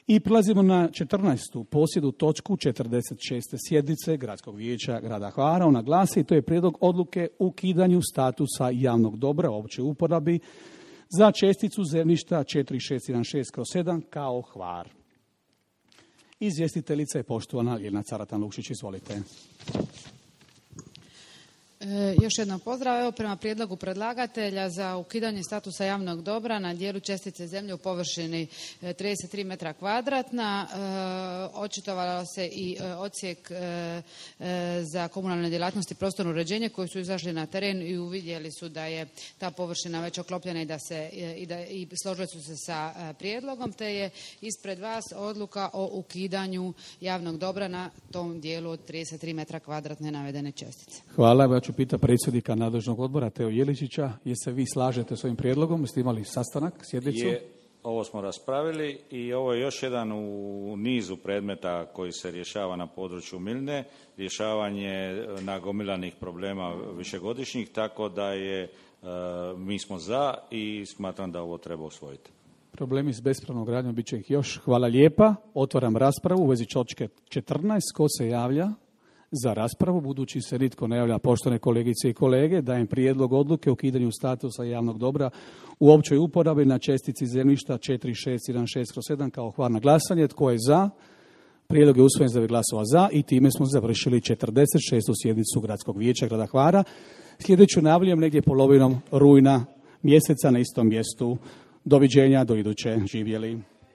I prelazimo na 14. posjedu točku 46. sjednice Gradskog vijeća grada Hvara. Ona glasi, to je prijedlog odluke o ukidanju statusa javnog dobra u općoj uporabi za česticu zemljišta 4616/7 kao Hvar. Izvjestiteljica je poštovana Ljiljana Caratan-Lukšić, izvolite. Još jednom pozdrav. Evo, prema prijedlogu predlagatelja za ukidanje statusa javnog dobra na dijelu čestice zemlje u površini 33 metra kvadratna očitovalo se i odsjek za komunalne djelatnosti i prostorno uređenje koji su izašli na teren i uvidjeli su da je ta površina već oklopljena i složili su se sa prijedlogom, te je ispred vas odluka o ukidanju javnog dobra na tom dijelu od 33 metra kvadratne navedene čestice. Hvala. Ja ću pitati predsjednika nadležnog odbora Teo Jeličića, jer se vi slažete s ovim prijedlogom? Jeste imali sastanak, sjednicu? Ovo smo raspravili i ovo je još jedan u nizu predmeta koji se rješava na području Milne, rješavanje nagomilanih problema višegodišnjih, tako da mi smo za i smatram da ovo treba usvojiti. Problemi s bespravnom gradnjom bit će ih još. Hvala lijepa. Otvaram raspravu u vezi točke 14. Ko se javlja za raspravu? Budući se nitko ne javlja, poštovane kolegice i kolege, dajem prijedlog odluke o ukidanju statusa javnog dobra u općoj uporabi na čestici zemljišta 4616/7 kao Hvar na glasanje. Tko je za? Prijedlog je usvojen za glasova za i time smo završili 46. sjednicu Gradskog vijeća grada Hvara. Sljedeću najavljujem negdje polovinom rujna mjeseca na istom mjestu. Doviđenja, do iduće. Živjeli.